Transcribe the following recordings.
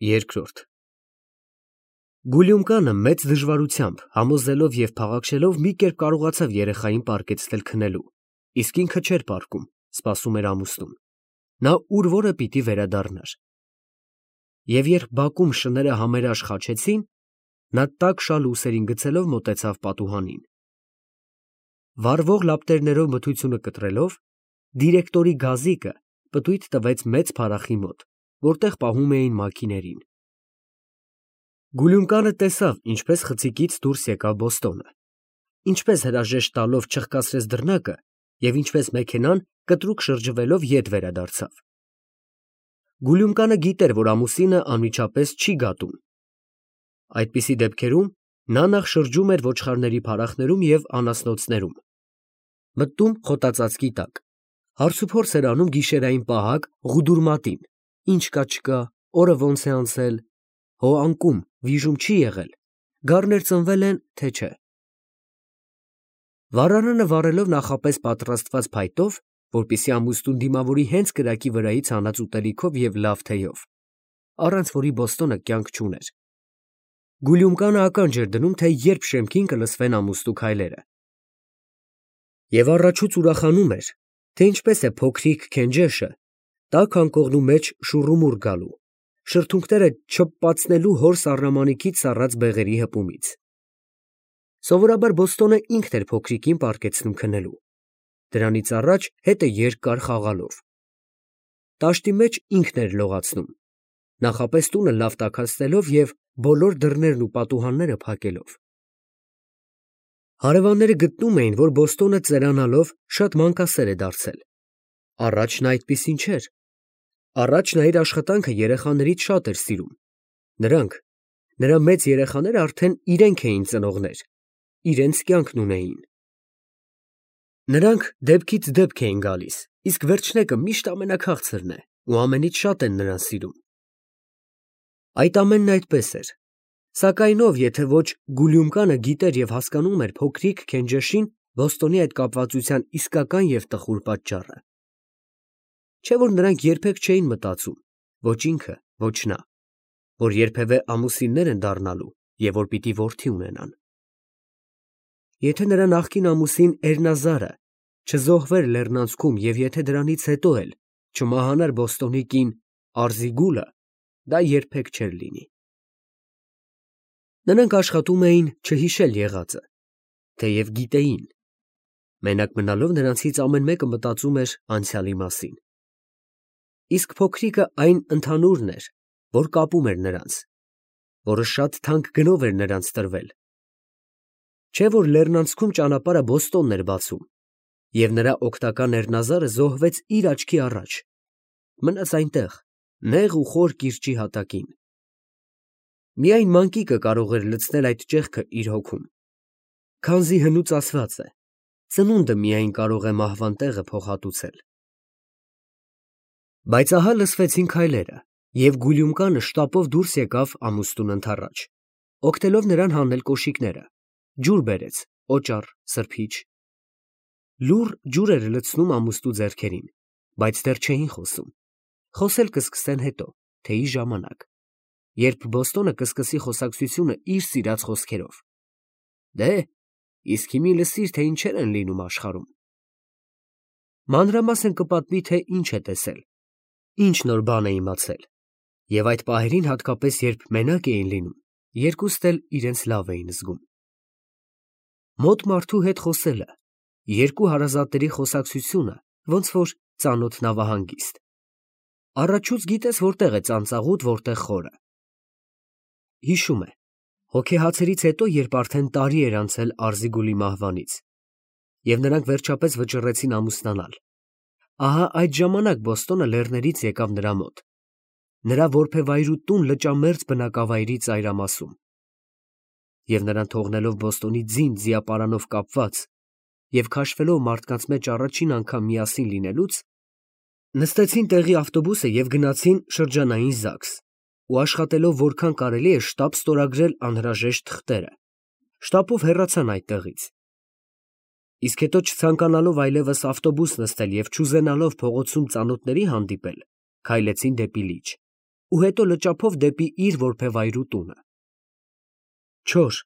Երկրորդ Գուլյումկանը մեծ դժվարությամբ, համոզելով և փաղաքշելով մի կերպ կարողացավ երեխային պառկեցնել քնելու, իսկ ինքը չէր պառկում, սպասում էր ամուսնուն։ Նա ուր որը պիտի վերադառնար։ Եվ երբ բակում շները համերաշխ խաչեցին, նա տաք շալ ուսերին գցելով մոտեցավ պատուհանին։ Վառվող լապտերներով մթությունը կտրելով, դիրեկտորի գազիկը պտույտ տվեց մեծ փարախի մոտ, որտեղ պահում էին մաքիներին։ Գուլյումկանը տեսավ, ինչպես խցիկից դուրս եկավ Բոստոնը, ինչպես հրաժեշտ տալով չխկացրեց դռնակը և ինչպես մեքենան կտրուկ շրջվելով ետ վերադարձավ։ Գուլյումկանը գիտեր, որ ամուսինը անմիջապես չի գատում։ Այդպիսի դեպքերում նա նախ շրջում էր ոչխարների փարախներում և անասնոցներում, մտնում խոտածածկի տակ, հարցուփորձ էր անում գիշերային պահակ Ղուդուրմատին, ինչ կա չկա, օրը ոնց է անցել, հո անկում, վիժում չի եղել, գառներ ծնվել են, թե չէ։ Վառարանը վառելով նախապես պատրաստված փայտով, որպեսզի ամուսնուն դիմավորի հենց կրակի վրայից հանած ուտելիքով և լավ թեյով, առանց որի Բոստոնը կյանք չուներ, Գուլյումկանը ականջ էր դնում, թե երբ շեմքին կլսվեն ամուսնու քայլերը։ Եվ առաջուց ուրախանում էր, թե ինչպես է փոքրիկ Քենջեշը տաք անկողնու մեջ շուռումուռ գալու, շրթունքները չփպացնելու հոր սառնամանիքից սառած բեղերի հպումից։ Սովորաբար Բոստոնը ինքն էր փոքրիկին պառկեցնում քնելու, դրանից առաջ հետը երկար խաղալով։ Տաշտի մեջ ինքն էր լողացնում, նախապես տունը լավ տաքացնելով և բոլոր դռներն ու պատուհանները փակելով։ Հարևանները գտնում էին, որ Բոստոնը ծերանալով շատ մանկասեր է դարձել։ Առաջ նա այդպիսին չէր։ Առաջ նա իր աշխատանքը երեխաներից շատ էր սիրում։ Նրա մեծ երեխաները արդեն իրենք էին ծնողներ, իրենց կյանքն ունեին։ Նրանք դեպքից դեպք էին գալիս, իսկ վերջնեկը միշտ ամենաքաղցրն է ու ամենից շատ են նրան սիրում։ Այդ ամենն այդպես էր, սակայն ով, եթե ոչ Գուլյումկանը գիտեր և հասկանում էր փոքրիկ Քենջեշին Բոստոնի այդ կապվածության իսկական և տխուր պատճառը։ Չէ՞ որ նրանք երբեք չէին մտածում, ոչ ինքը, ոչ նա, որ երբևէ ամուսիններ են դառնալու և որ պիտի որդի ունենան։ Եթե նրա նախկին ամուսին Էրնազարը չզոհվեր լեռնանցքում և եթե դրանից հետո էլ չմահանար Բոստոնի կին Արզիգուլը, դա երբեք չէր լինի։ Նրանք աշխատում էին չհիշել եղածը, թեև գիտեին։ Մենակ մնալով նրանցից ամեն մեկը մտածում էր անցյալի մասին։ Իսկ փոքրիկը այն ընդհանուրն էր, որ կապում էր նրանց, որը շատ թանկ գնով էր նրանց տրվել։ Չէ՞ որ լեռնանցքում ճանապարհը Բոստոնն էր բացում, և նրա օգնական Էրնազարը զոհվեց իր աչքի առաջ, մնաց այնտեղ, նեղ ու խոր կիրճի հատակին։ Միայն մանկիկը կարող էր լցնել այդ ճեղքը իր հոգում, քանզի հնուց ասված է. ծնունդը միայն կարող է մահվան տեղը փոխհատուցել։ Բայց ահա լսվեցին քայլերը, և Գուլյումկանը շտապով դուրս եկավ ամուսնուն ընդառաջ, օգնելով նրան հանել կոշիկները, ջուր բերեց, օճառ, սրբիչ։ Լուռ ջուր էր լցնում ամուսնու ձեռքերին, բայց դեռ չէին խոսում, խոսել կսկսեն հետո, թեյի ժամանակ, երբ Բոստոնը կսկսի խոսակցությունը իր սիրած խոսքերով։ Դե, իսկ հիմի լսիր, թե ինչեր են լինում աշխարհում։ Մանրամասն կպատմի, թե ինչ է տեսել, ինչ նոր բան է իմացել, և այդ պահերին հատկապես, երբ մենակ էին լինում, երկուստ էլ իրենց լավ էին զգում։ Մոտ մարդու հետ խոսելը, երկու հարազատների խոսակցությունը ոնց որ ծանոթ նավահանգիստ։ Առաջուց գիտես որտեղ է ծանծաղուտ, որտեղ խորը։ Հիշում է, հոգեհացերից հետո, երբ արդեն տարի էր անցել Արզիգուլի մահվանից, և նրանք վերջապես վճռեցին ամուսնանալ, ահա այդ ժամանակ Բոստոնը լեռներից եկավ նրա մոտ, նրա որբևայրու տուն լճամերձ բնակավայրի ծայրամասում, և նրան թողնելով Բոստոնի ձին ձիապարանով կապված և քաշվելով մարդկանց մեջ առաջին անգամ միասին լինելուց, նստեցին տեղի ավտոբուսը և գնացին շրջանային ԶԱԳՍ ու աշխատելով որքան կարելի է շտապ ստորագրել անհրաժեշտ թղթերը, շտապով հեռացան այդտեղից։ Իսկ հետո չցանկանալով այլևս ավտոբուս նստել և չուզենալով փողոցում ծանոթների հանդիպել, քայլեցին դեպի լիճ, ու հետո լճափով դեպի իր որբևայրու տունը։ Չոր,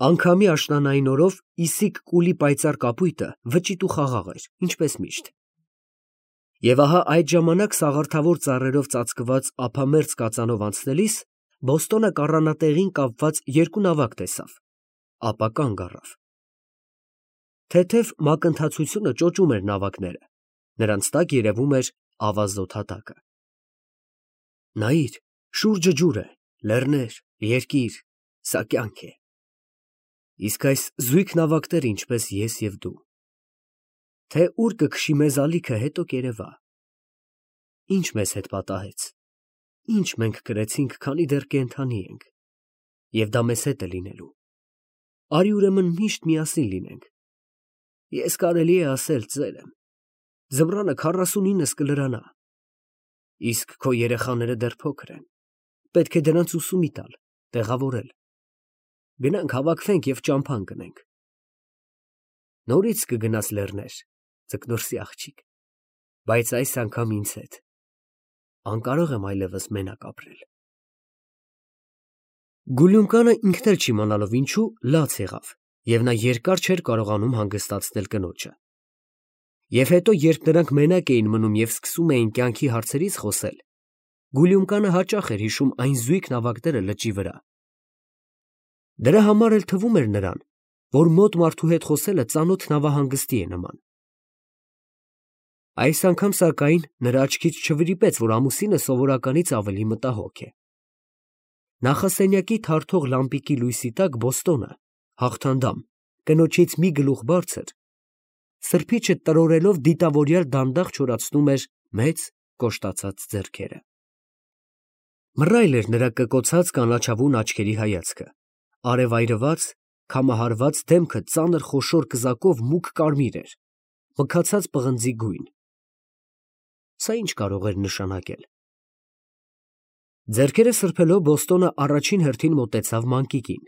անգամի աշնանային օրով իսիկ կուլի պայծառ կապույտը վճիտ ու խաղաղ էր, ինչպես միշտ։ Եվ ահա այդ ժամանակ սաղարթավոր ծառերով ծածկված ափամերձ կածանով անցնելիս Բոստոնը կառանատեղին կապված երկու նավակ տեսավ, ապա կանգ առավ։ Թեթև մակընթացությունը ճոճում էր նավակները, նրանց տակ երևում էր ավազոտ հատակը։ Նայիր, շուրջը ջուր է, լեռներ, երկիր, սա կյանք է։ Իսկ այս զույգ նավակները ինչպես ես և դու։ Թե ուր կքշի մեզ ալիքը, հետո կերևա։ Ինչ մեզ հետ պատահեց, ինչ մենք կրեցինք, քանի դեռ կենդանի ենք, և դա մեզ հետ է լինելու։ Արի ուրեմն միշտ միասին լինենք։ Ես կարելի է ասել ծեր եմ, ձմռանը 49-ս կլրանա, իսկ քո երեխաները դեռ փոքր են, պետք է դրանց ուսումի տալ, տեղավորել։ Գնանք հավաքվենք և ճամփա ընկնենք։ Նորից կգնաս լեռներ, ձկնորսի աղջիկ, բայց այս անգամ ինձ հետ։ Անկարող եմ այլևս մենակ ապրել։ Գուլյունկանը ինքն էլ չիմանալով ինչու լաց եղավ, և նա երկար չէր կարողանում հանգստացնել կնոջը։ Եվ հետո, երբ նրանք մենակ էին մնում և սկսում էին կյանքի հարցերից խոսել, Գուլյունկանը հաճախ էր հիշում այն զույգ նավակները լճի վրա։ Դրա համար էլ թվում էր նրան, որ մոտ մարդու հետ խոսելը ծանոթ նավահանգստի է նման։ Այս անգամ, սակայն, նրա աչքից չվրիպեց, որ ամուսինը սովորականից ավելի մտահոգ է։ Նախասենյակի թարթող լամպիկի լույսի տակ Բոստոնը, հաղթանդամ, կնոջից մի գլուխ բարձր, սրբիչը տրորելով դիտավորյալ դանդաղ չորացնում էր մեծ կոշտացած ձեռքերը։ Մռայլ էր նրա կկոցած կանաչավուն աչքերի հայացքը, արևայրված, քամահարված դեմքը ծանր խոշոր կզակով մուգ կարմիր էր, մքացած պղնձի գույն։ Սա ինչ կարող էր նշանակել։ Ձեռքերը սրբելով Բոստոնը առաջին հերթին մոտեցավ մանկիկին։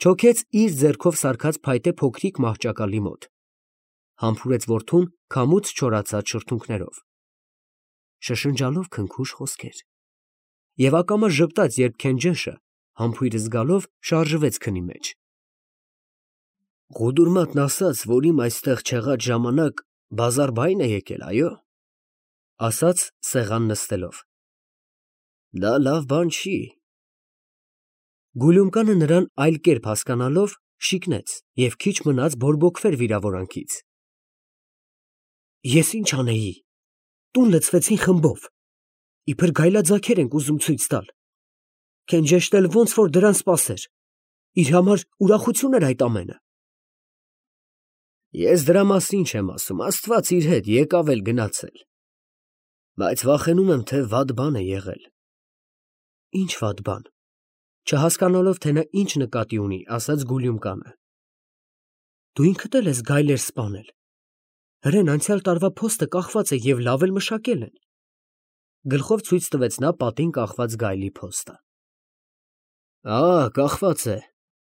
Չոքեց իր ձեռքով սարքած փայտե փոքրիկ մահճակալի մոտ։ Համբուրեց որդուն քամուց չորացած շրթունքներով։ Շշնջալով քնքուշ խոսքեր։ Եվ ակամա ժպտաց, երբ Քենջեշը, համբույրը զգալով, շարժվեց քնի մեջ։ Ղուդուրմատն ասաց, որ իմ այստեղ չեղած ժամանակ բազարբային է եկել, այո, ասաց սեղան նստելով։ Դա լավ բան չի։ Գուլյունկանը նրան այլ կերպ հասկանալով շիկնեց և քիչ մնաց բորբոքվեր վիրավորանքից։ Ես ինչ անեի, տուն լցվեցին խմբով, իբր գայլաձագեր ենք ուզում ցույց տալ։ Քենջեշն էլ ոնց որ դրան սպասեր, իր համար ուրախություն էր այդ ամենը։ Ես դրա մասին չեմ ասում, Աստված իր հետ եկավ էլ գնացել։ Բայց վախենում եմ, թե վատ բան է եղել։ Ինչ վատ բան։ Չհասկանալով, թե նա ինչ նկատի ունի, ասաց Գուլյունկանը։ Դու ինքդ էլ ես գայլեր սպանել։ Հրեն անցյալ տարվա փոստը կախված է և լավ էլ մշակել են։ Գլխով ցույց տվեց նա պատին կախված գայլի փոստը։ Կախված է,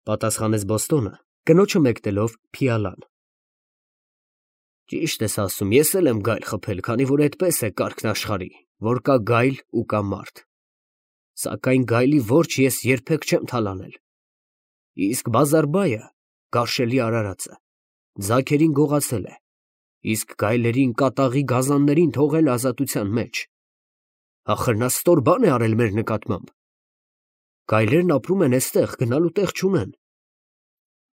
պատասխանեց Բոստոնը, կնոջը մեկնելով փիալան։ Ճիշտ ես ասում, ես էլ եմ գայլ խփել, քանի որ այդպես է կարգն աշխարհի, որ կա գայլ ու կա մարդ։ Սակայն գայլի որջը ես երբեք չեմ թալանել։ Իսկ բազարբայը, գարշելի արարածը, ձագերին գողացել է, իսկ գայլերին, կատաղի գազաններին թողել ազատության մեջ։ Ախր նա ստոր բան է արել մեր նկատմամբ։ Գայլերն ապրում են էստեղ, գնալու տեղ չունեն։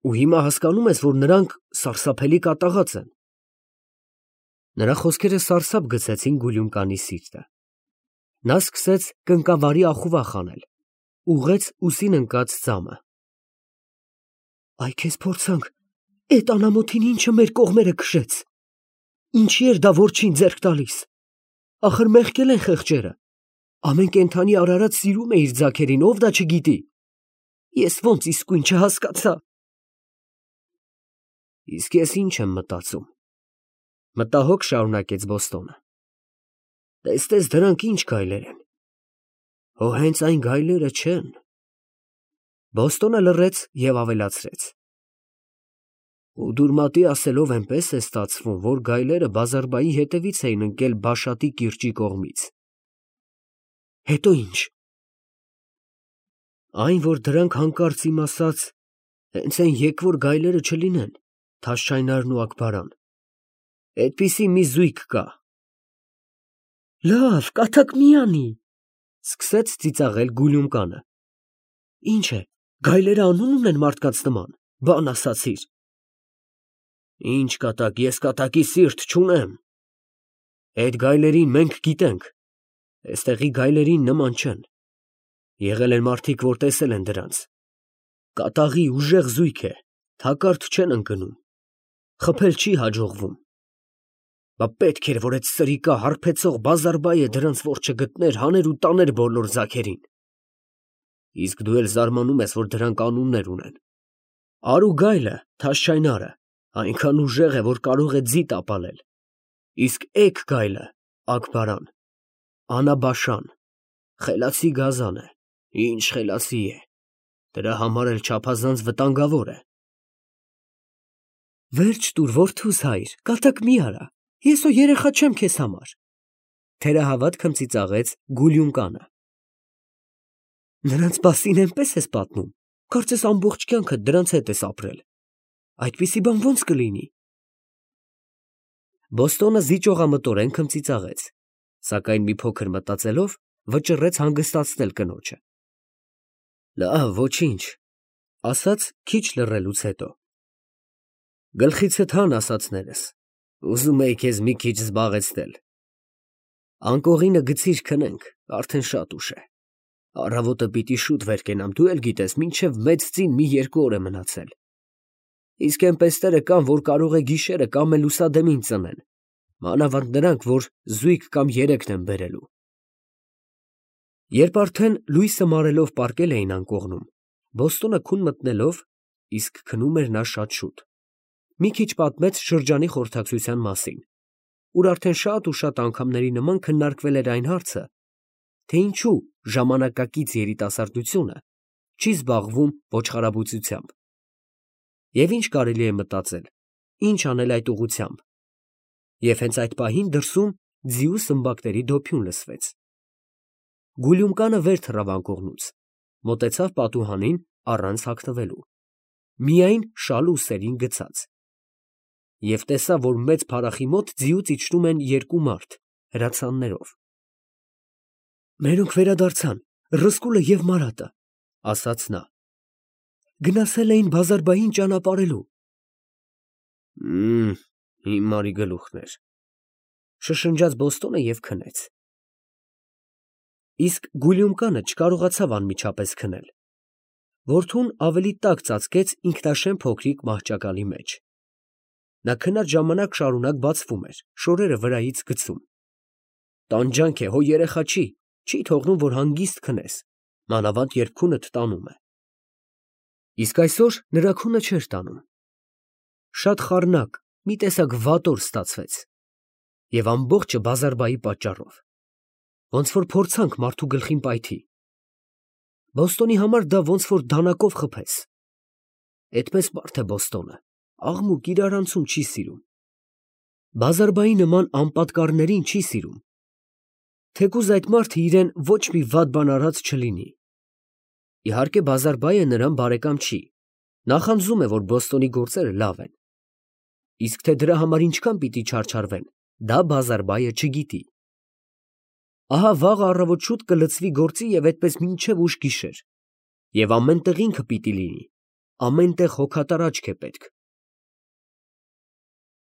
Ու հիմա հասկանում ես, որ նրանք սարսափելի կատաղած են։ Նրա խոսքերը սարսափ գցեցին Գուլյունկանի սիրտը։ Նա սկսեց կնկավարի ախուվախ անել, ուղղեց ուսին ընկած ձամը։ Այ քեզ փորձանք, էդ անամոթին ինչը մեր կողմերը քշեց։ Ինչի էր դա որջին ձեռք տալիս։ Ախր մեղքել են խեղճերը։ Ամեն կենդանի արարած սիրում է իր ձագերին, ով դա չգիտի։ Ես ոնց իսկույն չհասկացա։ Իսկ ես ինչ եմ մտածում։ Մտահոգ շարունակեց Բոստոնը։ Տեսնես դրանք ինչ գայլեր են։ Հո հենց այն գայլերը չեն։ Բոստոնը լռեց և ավելացրեց. Ուդուրմատի ասելով այնպես է ստացվում, որ գայլերը բազարբայի հետևից էին ընկել Բաշատի կիրճի կողմից։ Հետո ինչ։ Այն, որ դրանք հանկարծ իմ ասած հենց այն եկվոր գայլերը չլինեն, Թաշչայնարն ու Աքբարան։ Այդպիսի մի զույգ կա։ Լավ, կատակ մի անի, սկսեց ծիծաղել Գուլյումկանը։ Ինչ է, գայլերը անուն ունեն մարդկանց նման, բան ասացիր։ Ինչ կատակ, ես կատակի սիրտ չունեմ։ Այդ գայլերին մենք գիտենք, այստեղի գայլերին նման չեն։ Եղել են մարդիկ, որ տեսել են դրանց։ Կատաղի ուժեղ զույգ է, թակարդ չեն ընկնում, խփել չի հաջողվում։ Բա պետք էր, որ այդ սրիկա հարբեցող բազարբայը դրանց որջը գտներ, հաներ ու տաներ բոլոր ձագերին։ Իսկ դու էլ զարմանում ես, որ դրանք անուններ ունեն։ Արու գայլը, Թաշչայնարը, այնքան ուժեղ է, որ կարող է ձի տապալել։ Իսկ էգ գայլը, Աքբարան, անաբաշան, խելացի գազան է, ինչ խելացի է, դրա համար էլ չափազանց վտանգավոր է։ Վերջ տուր, որդուս հայր, կատակ մի արա, ես ու երեխա չեմ քեզ համար, թերահավատ քմծիծաղեց Գուլյումկանը։ Նրանց մասին այնպես ես պատմում, կարծես ամբողջ կյանքդ դրանց հետ ես ապրել։ Այդպիսի բան ո՞նց կլինի։ Բոստոնը զիջողամտորեն քմծիծաղեց, սակայն մի փոքր մտածելով վճռեց հանգստացնել կնոջը։ Լավ, ոչինչ, ասաց քիչ լռելուց հետո։ Գլխիցդ հան ասածներս, ուզում էի քեզ մի քիչ զբաղեցնել։ Անկողինը գցիր քնենք, արդեն շատ ուշ է։ Առավոտը պիտի շուտ վեր կենամ, դու էլ գիտես, մինչև մեծ ծին մի 2 օր է մնացել։ Իսկ էնպեստերը կան, որ կարող է գիշերը կամ էլ լուսադեմին ծնեն, մանավանդ նրանք, որ զույգ կամ 3-ն են բերելու։ Երբ արդեն լույսը մարելով պառկել էին անկողնում, Բոստոնը քուն մտնելով, իսկ քնում էր նա շատ շուտ, մի քիչ պատմեց շրջանի խորհրդակցության մասին, ուր արդեն շատ ու շատ անգամների նման քննարկվել էր այն հարցը, թե ինչու ժամանակակից երիտասարդությունը չի զբաղվում ոչխարաբուծությամբ, և ինչ կարելի է մտածել, ինչ անել այդ ուղղությամբ, և հենց այդ պահին դրսում ձիու սմբակների դոփյուն լսվեց։ Գուլյումկանը վեր թռավ անկողնուց, մոտեցավ պատուհանին առանց հագնվելու, միայն շալ ուսերին գցած, և տեսավ, որ մեծ փարախի մոտ ձիուց իջնում են 2 մարդ հրացաններով։ Մերոնք վերադարձան, Ռսկուլը և Մարատը, ասաց նա, գնացել էին բազարբային ճանապարհելու։ Հիմարի գլուխներ, շշնջաց Բոստոնը և քնեց։ Իսկ Գուլյումկանը չկարողացավ անմիջապես քնել։ Որդուն ավելի տաք ծածկեց ինքնաշեն փոքրիկ մահճակալի մեջ։ Նա քնած ժամանակ շարունակ բացվում էր, շորերը վրայից գցում։ Տանջանք է, հո երեխա չի թողնում, որ հանգիստ քնես, մանավանդ երբ քունդ տանում է։ Իսկ այսօր նրա քունը չէր տանում։ Շատ խառնակ, մի տեսակ վատ օր ստացվեց, և ամբողջը բազարբայի պատճառով, ոնց որ փորձանք մարդու գլխին պայթի։ Բոստոնի համար դա ոնց որ դանակով խփես։ Էդպես մարդ է Բոստոնը, աղմուկ իրարանցում չի սիրում։ Բազարբայի նման անպատկառներին չի սիրում, թեկուզ այդ մարդը իրեն ոչ մի վատ բան արած չլինի։ Իհարկե բազարբայը նրան բարեկամ չի, նախանձում է, որ Բոստոնի գործերը լավ են։ Իսկ թե դրա համար ինչքան պիտի չարչարվեն, դա բազարբայը չգիտի։ Ահա վաղը առավոտ շուտ կլցվի գործի և այդպես մինչև ուշ գիշեր, և ամեն տեղ ինքը պիտի լինի, ամեն տեղ հոգատար աչք է պետք,